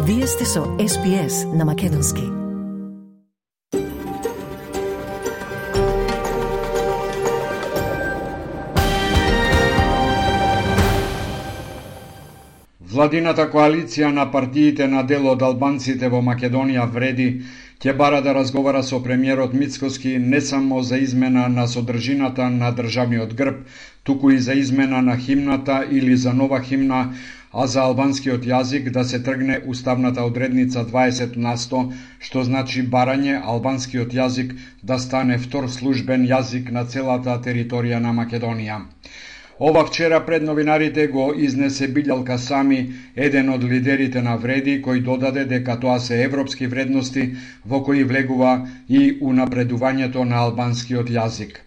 Вие сте со SPS на Македонски. Владината коалиција на партиите на дел од албанците во Македонија вреди ќе бара да разговара со премиерот Мицкоски не само за измена на содржината на државниот грб, туку и за измена на химната или за нова химна, а за албанскиот јазик да се тргне уставната одредница 20%, што значи барање албанскиот јазик да стане втор службен јазик на целата територија на Македонија. Ова вчера пред новинарите го изнесе Билјал Касами, еден од лидерите на Вреди, кој додаде дека тоа се европски вредности во кои влегува и унапредувањето на албанскиот јазик.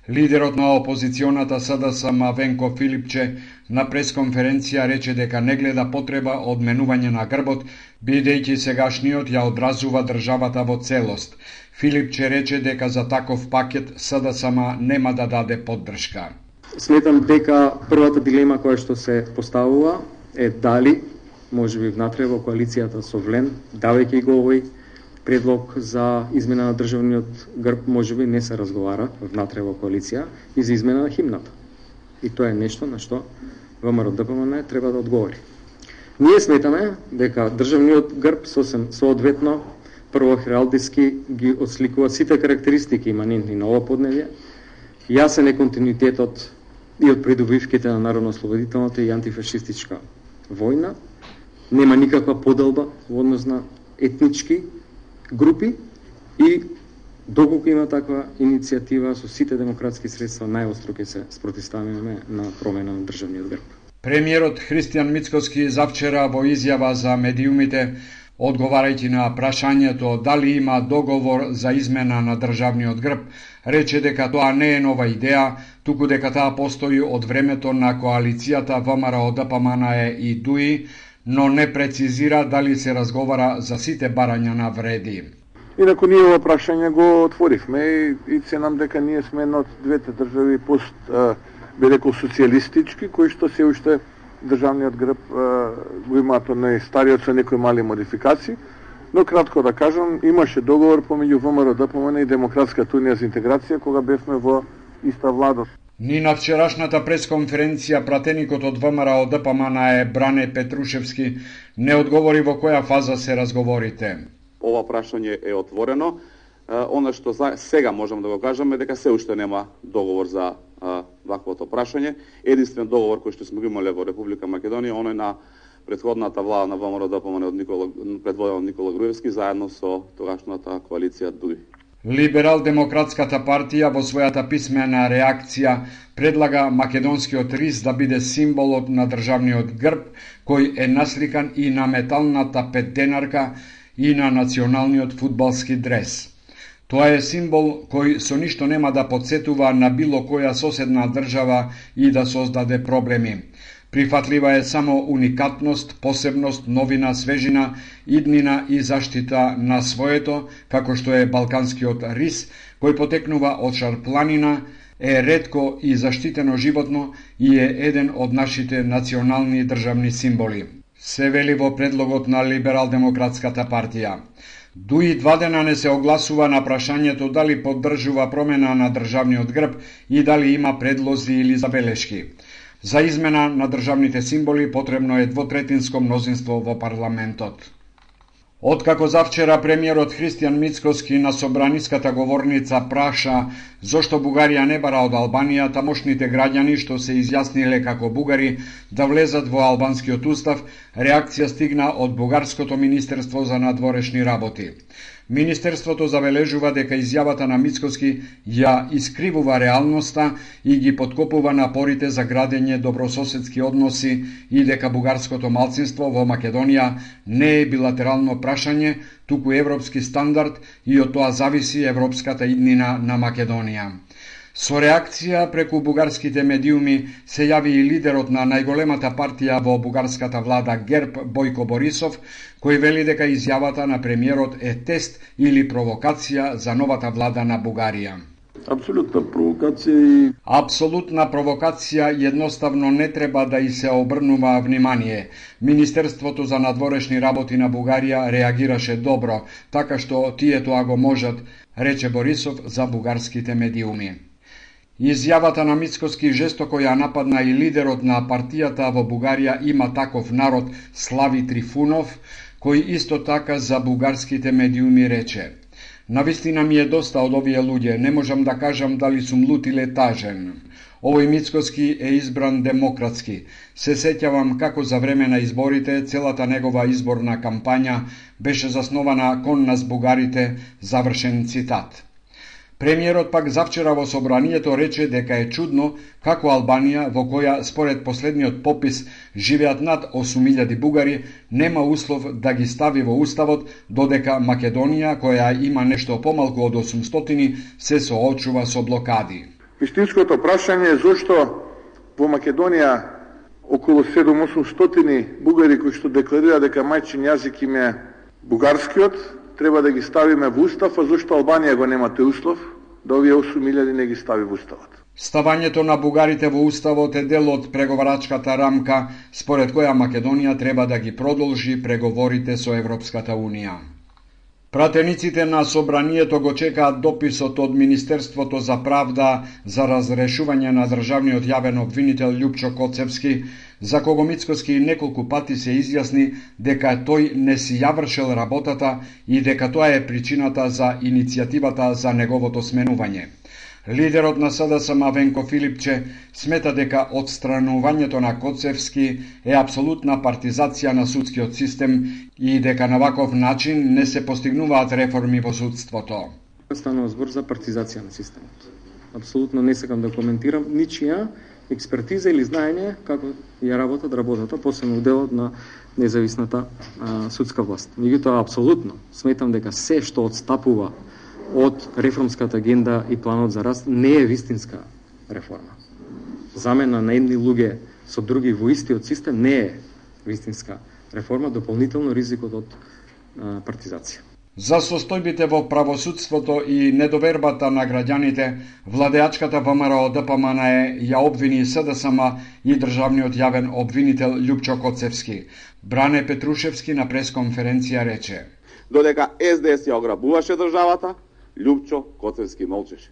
Лидерот на опозиционата СДСМ Венко Филипче на пресконференција рече дека не гледа потреба од менување на грбот, бидејќи сегашниот ја одразува државата во целост. Филипче рече дека за таков пакет СДСМ нема да даде поддршка. Сметам дека првата дилема која што се поставува е дали можеби внатре во коалицијата со Влен, давајќи го овој предлог за измена на државниот грб, можеби не се разговара внатре во коалиција и за измена на химната. И тоа е нешто на што ВМРО ДПМН треба да одговори. Ние сметаме дека државниот грб соодветно прво хералдиски ги отсликува сите карактеристики иманентни на ова подневје. Јасен е континуитетот и од придобивките на народно-ослободителната и антифашистичка војна. Нема никаква поделба во однос на етнички групи и доколку има таква иницијатива со сите демократски средства, најостро ќе се спротивставиме на промена на државниот грб. Премиерот Христијан Мицкоски завчера во изјава за медиумите, одговарајќи на прашањето дали има договор за измена на државниот грб, рече дека тоа не е нова идеја, туку дека таа постои од времето на коалицијата ВМРО ДПМН и ДУИ, но не прецизира дали се разговара за сите барања на Вреди. Инаку ние ова прашање го отворивме и се нам дека ние сме една од двете држави пост би рекол социјалистички, кои што се уште државниот грб го имаат најстариот со некои мали модификации, но кратко да кажам, имаше договор помеѓу ВМРО ДПМН и Демократската унија за интеграција кога бевме во иста влада. Ни на вчерашната пресконференција пратеникот од ВМРО ДПМН Бране Петрушевски не одговори во која фаза се разговорите. Ова прашање е отворено. Она што сега можам да го кажеме дека се уште нема договор за ваквото прашање. Единствен договор кој што сме го имале во Република Македонија, оној на претходната влада на ВМРО ДПМН предводена од Никола Груевски заедно со тогашната коалиција ДУИ. Либерал-демократската партија во својата писмена реакција предлага македонскиот рис да биде символот на државниот грб, кој е насликан и на металната петденарка и на националниот фудбалски дрес. Тоа е символ кој со ништо нема да потсетува на било која соседна држава и да создаде проблеми. Прифатлива е само уникатност, посебност, новина, свежина, иднина и заштита на своето, како што е балканскиот рис, кој потекнува од шарпланина, е ретко и заштитено животно и е еден од нашите национални државни символи. Се вели во предлогот на Либерал-демократската партија. ДУИ 2 дена не се огласува на прашањето дали поддржува промена на државниот грб и дали има предлози или забелешки. За измена на државните символи потребно е двотретинско мнозинство во парламентот. Откако завчера премиерот Христијан Мицкоски на собраниската говорница праша зошто Бугарија не бара од Албанија тамошните граѓани што се изјасниле како бугари да влезат во албанскиот устав, реакција стигна од Бугарското министерство за надворешни работи. Министерството забележува дека изјавата на Мицкоски ја искривува реалноста и ги подкопува напорите за градење добрососедски односи и дека бугарското малцинство во Македонија не е билатерално прашање, туку европски стандард и од тоа зависи европската иднина на Македонија. Со реакција преку бугарските медиуми се јави и лидерот на најголемата партија во бугарската влада ГЕРБ Бојко Борисов, кој вели дека изјавата на премиерот е тест или провокација за новата влада на Бугарија. Апсолутна провокација и... Апсолутна провокација, едноставно не треба да и се обрнува внимание. Министерството за надворешни работи на Бугарија реагираше добро, така што тие тоа го можат, рече Борисов за бугарските медиуми. Изјавата на Мицкоски жестоко ја нападна и лидерот на партијата во Бугарија Има таков народ Слави Трифунов, кој исто така за бугарските медиуми рече: "Навистина ми е доста од овие луѓе, не можам да кажам дали сум лут или тажен. Овој Мицкоски е избран демократски. Се сеќавам како за време на изборите целата негова изборна кампања беше заснована кон нас бугарите", завршен цитат. Премиерот пак завчера во собранието рече дека е чудно како Албанија, во која според последниот попис живеат над 8.000 бугари, нема услов да ги стави во уставот, додека Македонија, која има нешто помалку од 800, се соочува со блокади. Вистинското прашање е зошто во Македонија околу 7-800 бугари кои што декларира дека мајчин јазик им е бугарскиот, треба да ги ставиме во устав, а зошто Албанија го нема тој услов, да овие 8.000 не ги стави во уставот. Ставањето на бугарите во уставот е дел од преговарачката рамка, според која Македонија треба да ги продолжи преговорите со Европската Унија. Пратениците на собранието го чекаат дописот од Министерството за правда за разрешување на државниот јавен обвинител Љупчо Коцевски, за кого Мицкоски неколку пати се изјасни дека тој не си ја вршел работата и дека тоа е причината за иницијативата за неговото сменување. Лидерот на СДСМ Венко Филипче смета дека отстранувањето на Коцевски е апсолутна партизација на судскиот систем и дека на ваков начин не се постигнуваат реформи во судството. Станува збор за партизација на системот. Апсолутно не сакам да коментирам ничија експертиза или знаење како ја работат работата, посебно делот на независната судска власт. Меѓутоа, апсолутно сметам дека се што отстапува од реформската агенда и планот за раст не е вистинска реформа. Замена на едни луѓе со други во истиот систем не е вистинска реформа, дополнително ризикот од партизација. За состојбите во правосудството и недовербата на граѓаните, владеачката ВМРО ДПМН ја обвини СДСМ и државниот јавен обвинител Љупчо Коцевски. Бране Петрушевски на пресконференција рече: "Додека СДС ја ограбуваше државата, Љупчо Коцевски молчеше.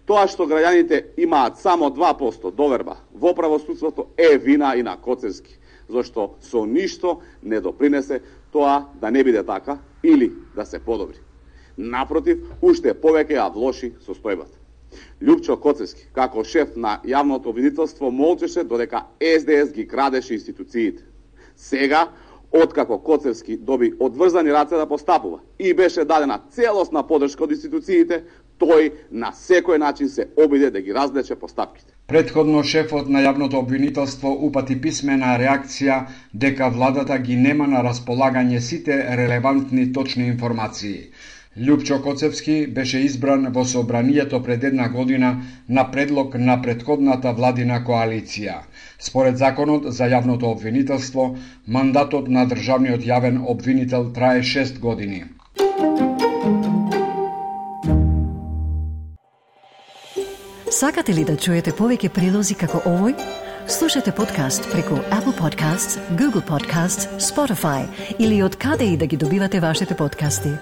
Тоа што граѓаните имаат само 2% доверба во правосудството е вина и на Коцевски, зашто со ништо не допринесе тоа да не биде така или да се подобри. Напротив, уште повеќе ја влоши состојбата. Љупчо Коцевски, како шеф на јавното обвинителство, молчеше додека СДС ги крадеше институциите. Сега, откако Коцевски доби одврзани раце да постапува и беше дадена целосна подршка од институциите, тој на секој начин се обиде да ги развлече постапките. Претходно шефот на јавното обвинителство упати писмена реакција дека владата ги нема на располагање сите релевантни точни информации. Љупчо Коцевски беше избран во собранието пред една година на предлог на претходната владина коалиција. Според законот за јавното обвинителство, мандатот на државниот јавен обвинител трае 6 години. Сакате ли да чуете повеќе прилози како овој? Слушате подкаст преку Apple Podcasts, Google Podcasts, Spotify или од каде и да ги добивате вашите подкасти.